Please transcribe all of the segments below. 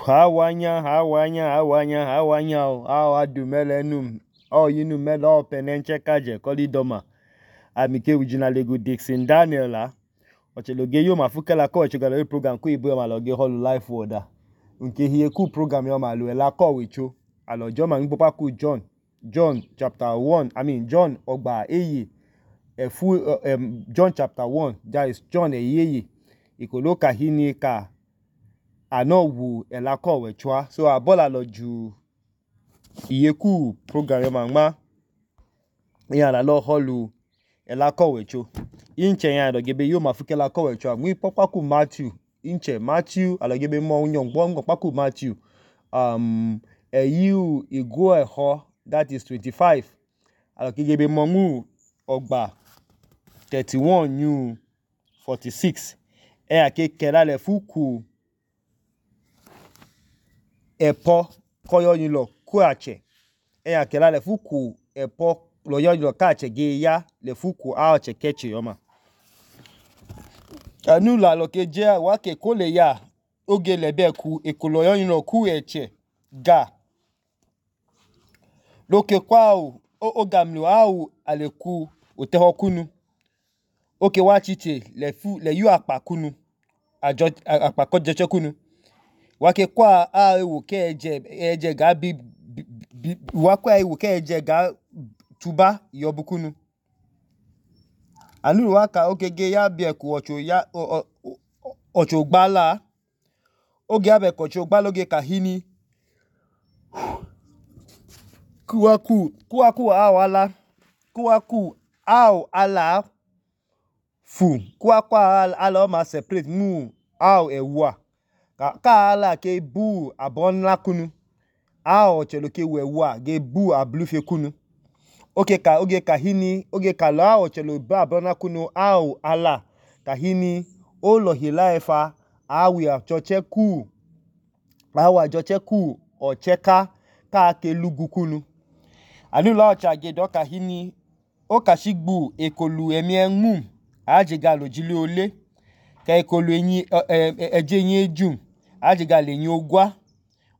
Hawanya, adumelenum, yinum melo penenche kaje kolidoma. Amike ujina lego Dixon Daniel la. Ocheloge yo mafukela ko echogalo program ko ibo maloge holu life order. Nke hiye ku program yo malu ela ko wecho. Alo John mangbopa ku John chapter 1, John ogba eye. John chapter 1, that is John eyeye. Ikoloka hini ka anowu elako wechwa. So abola loju iyeku program yo mangma. Iya lo holu elako wecho. Inche ya adogebe yo mafuke elako wechwa. Mwi popa ku Matthew. Inche Matthew adogebe mo unyongbo paku Matthew. Eyu igwe ho, that is 25. Adogebe mo mu ogba 31 new 46. Ake kelale fuku epo koyo nilo kuache. Kelale fuku epo loyo nilo kache ge ya le fuku aoche keche yoma. Anula loke je wake kole ya oge lebe ku ekoloyo nilo ku eche ga. Loke kwa ogamlu au aleku oteho kunu. Oke wachiche le yu akpa kunu. Akpa kojeche kunu. Wake kwa ewu ke eje ga wakwa ewu ke eje ga tuba yobukunu. Anulu waka oke ge ya bieku ocho gbala. Oge abe kocho gbala oge kahini. Kuwaku au ala fu. Kuwaku ala oma separate mu au ewa. Ka ala ke bu abonla kunu. Ao cheloke wewa ge bu ablufe kunu. Oge kahini. Oge kala ao chelo bu abonla kunu au ala. Kahini olo hila efa awi achoche ku. Awa achoche ku ocheka ka ke lugu kunu. Anula ochage doka hini. Oka shigbu ekolu emienmum. Ajiga lojili ole. Ka ekolu eje enye ejum. Ajiga le enye ogwa.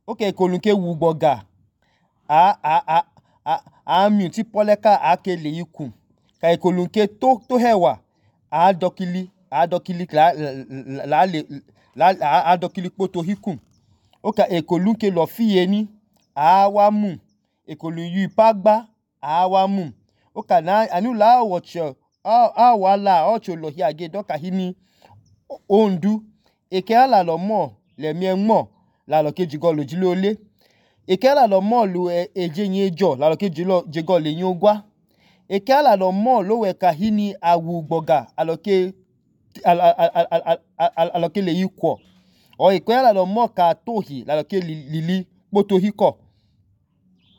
Oka ekolu ke wugboga. Ami ti poleka ake le yikum. Ka ekolu ke to hewa. Adokili poto hikum. Oka ekolu ke lo fiye ni. Awamu. Ekolu yu ipagba. Awamu. Oka na anula awocho. Awala ocho lohi age doka hini. Ondu. Eke ala lo mo. Le mien mo. La lo ke jigo lojili ole. Eke ala lo mo lu eje nye jo. La lo ke jigo le nyogwa. Eke ala lo mo lo we kahini awu gboga. Aloke le yikwo. O eke ala lo mo ka tohi. La lo ke lili poto hiko.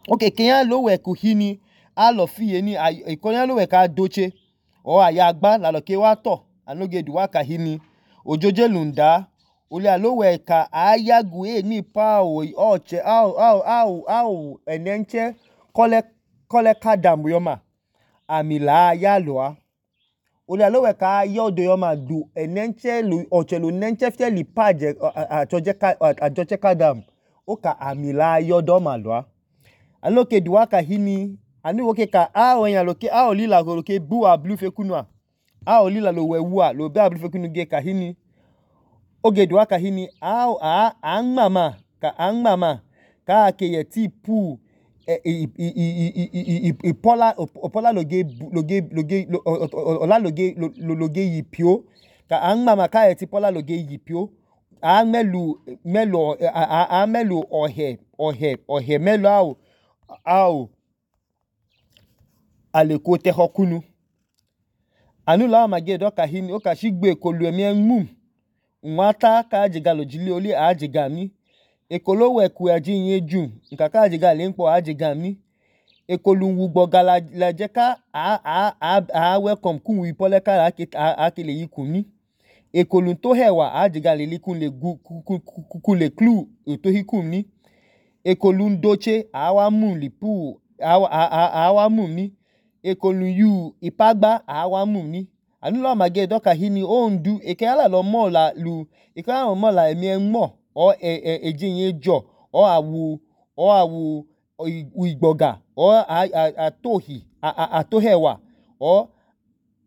Oke kenya lo we kuhini. Alo fiye ni. Kenya lo we ka doche. O ayagba. La lo ke wato. Anoge duwa kahini. Ojoje lunda. Ole alowe ka ayagu ni pa oche enenche kole kadambu yoma amila yaloa. Ole alowe ka yodo yoma du enenche oche lo nenche fie li paje ajoche kadam. Oka amila yodo maloa. Aloke duwa kahini. Anu woke ka aonya loke aolila loke bu ablufe kunwa. Aolila lo wewua lo be ablufe kunu ge kahini. Oge duwa kahini angmama ka akeye tipu opola loge yipio ka angmama ka etipola loge yipio melu ohe melu au aleko teho kunu. Anula mage doka hini oka shigbe ekolu emienmum. Nwata ka ajiga lojili oli ajiga mi. Ekolo weku aji nye jum. Nkaka ajiga lempo ajiga mi. Ekolu wugboga la jeka welcome kun wipole ka ake le yiku mi. Ekolu to hewa ajiga le likun le klu to hikum mi. Ekolu ndoche awamu lipu awamu mi. Ekolu yu ipagba awamu mi. Anula mage doka hini ondu eke ala lo mo la lu eke ala lo mo la emien mo or ejenye jo or awu igboga or atohi atohewa or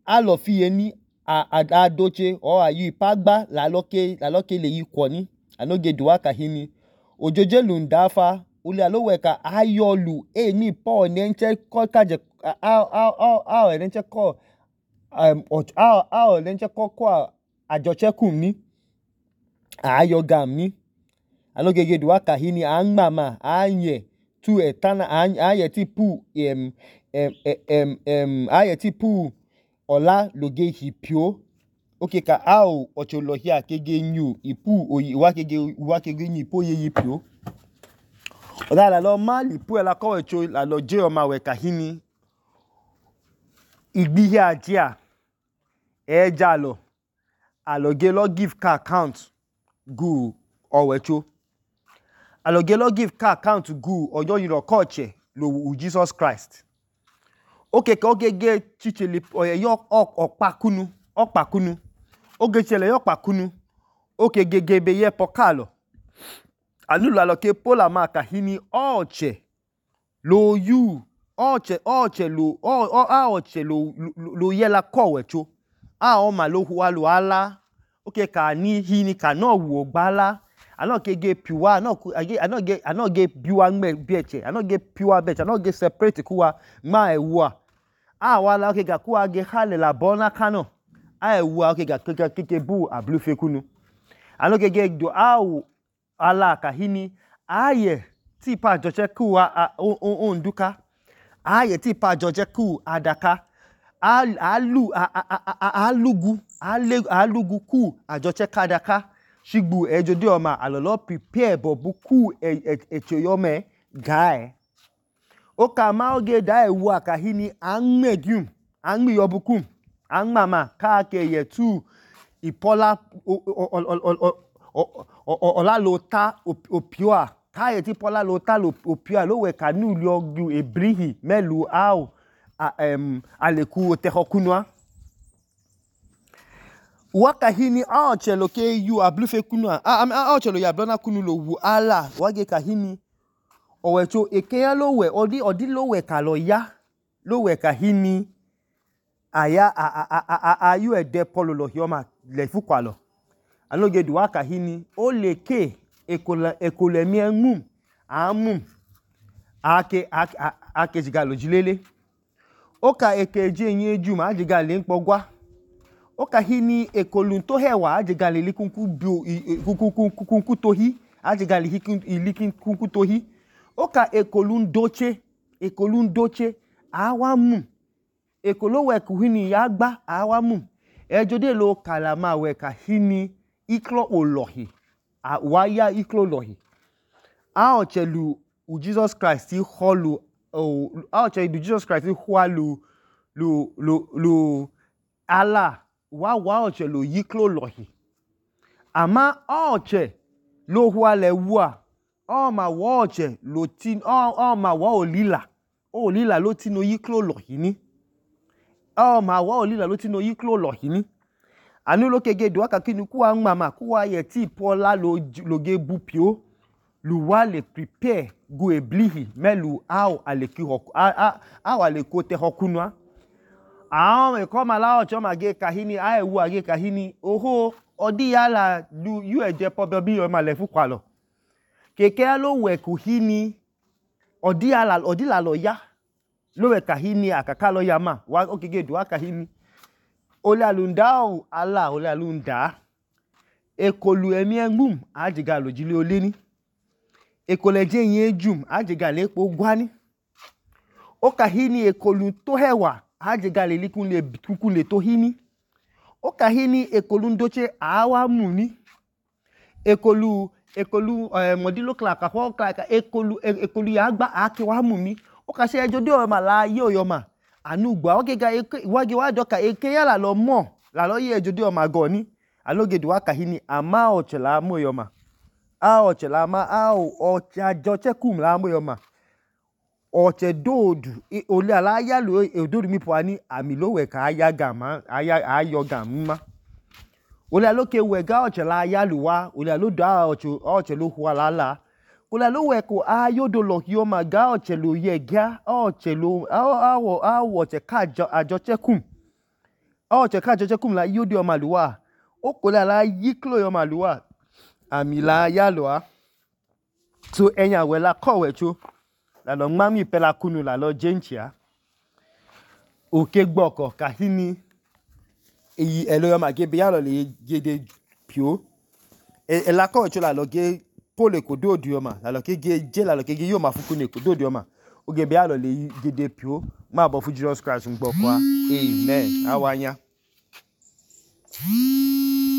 alofiyeni adoche or ayu ipagba laloke leyi kwoni anoge duwa kahini ojoje lundafa ule aloweka ayolu eni po nenche kaje nenche ko nenche ko ajoche kumni ayogam anoge duwa kahini angmama anye tu etana anye tipu anye tipu ola loge hipio oke ka ao ocholohia kege nyu ipu wa kege nyu ipu ye yipio oda lo ma lipu ela ko echo la lo je oma we kahini igbihi ajia ejalo aloge lo give ka account gu owecho aloge lo give ka account gu ojo yiro koche lo Jesus Christ oke ka ogege chichele yo okpakunu oge chele yo okpakunu oke gege be ye pokalo anulu aloke pola ma kahini oche lo yu oche lo yela kowecho oma lo huwa lo ala oke ka ni hini ka no wo gbala anoke ge piwa anoge biwa ngbe bieche anoge piwa beche anoge separate kuwa ma ewa awala oke ga kuwa ge hale la bona kano ewa oke ga keke bu ablufe kunu anoge ge do awu ala kahini aye tipa joche kuwa onduka aye tipa joche ku adaka alugu ku ajoche kadaka shigbu ejode oma alolo prepare bobu ku echoyome gae oka ma oge da ewu akahini anmedium anmi yobukum anmama ka ke yetu ipola ola lota opioa ka yeti pola lota opioa lo we kanu liogu ebrihi melu au aleku otehokunwa wakahini aochelo ke yu ablufe kunwa aochelo ya blona kunu lo wu ala wage kahini owecho ekeya lowe odi lowe kalo ya lowe kahini aya ayu ede polo lo hioma le fukwalo anoge duwa kahini oleke ekolemi emum amum ake jigalo jilele oka ekeje nye jum ajigale nkpogwa oka hini ekolun to hewa ajigale likunku tohi ajigale likunku tohi oka ekolun doche awamum ekolowe kuhini yagba awamum ejode lo kalama we kahini iklo olohi waya iklo lohi aochelu Jesus Christ holu aochelu Jesus Christ hwalu lu ala wa ochelu yiklo lohi ama oche lo hwale wa ma wa oche lo tin ma wa olila lo tin yiklo lohi ni ma wa olila lo tin yiklo lohi ni anu lo kege do aka kinu kuwa mama kuwa ye ti pola lo ge bupio lu wa le prepare go eblihi melu au aleko te hokunwa me koma la ocho mage kahini ewu age kahini oho odi yala yu eje pobe bi yo ma le fukwalo keke lo we kuhini odi la lo ya lo we kahini akaka lo ya ma wa okege do aka hini ole alundao ala ole alunda ekolu emi engum ajiga lojile oleni ekoleje yen jum ajiga le po gwani okahini ekolu to hewa ajiga le likun le to hini okahini ekolu ndoche awa muni ekolu modilo klaka ho klaka ekolu ya gba ake wa muni okase ejode o ma la ye oyoma anugba ogega wage wa doka eke ya la lo mo la lo ye ejode o ma goni aloge duwa kahini ama ochela moyoma ochela ma ocha joche kum la moyoma oche dodu ole ala ya lo ododu mi po ani ami lo we ka aya gama ayo gam ma Olẹ ló ke wẹ̀gá ọ̀chẹ̀ la yálùwá olẹ ló dá ọ̀chẹ̀ ló hùwà lálá olẹ ló wẹ̀ kó ayódo lọ̀kì ọmọ gá ọ̀chẹ̀ ló yẹ gá ọ̀chẹ̀ ló awọ ọ̀chẹ̀ ká àjọchẹ́kùm la yódo ọmọ àlùwà ó kò lẹ la yí kúlò ọmọ àlùwà àmì la yálùwá so ẹ̀yìn àwẹ̀ la kọ̀wẹ̀ tso la lọ ńmá mi pẹ́ la kúnu la lọ jẹ́ǹchìá òkè gbọ̀kọ̀ kàhíní èyí ẹ̀lọ́ ọmọ àgé bẹ́yà lọ lè gédé pìó ẹ̀ la kọ̀wẹ̀ tso la lọ gé pole kodo odi ọma la lọ kege je la lọ kege yo ma fuku ne kodo odi ọma oge be alọ le gede pio ma bọ fu Jesus Christ ngbọ kwa amen awanya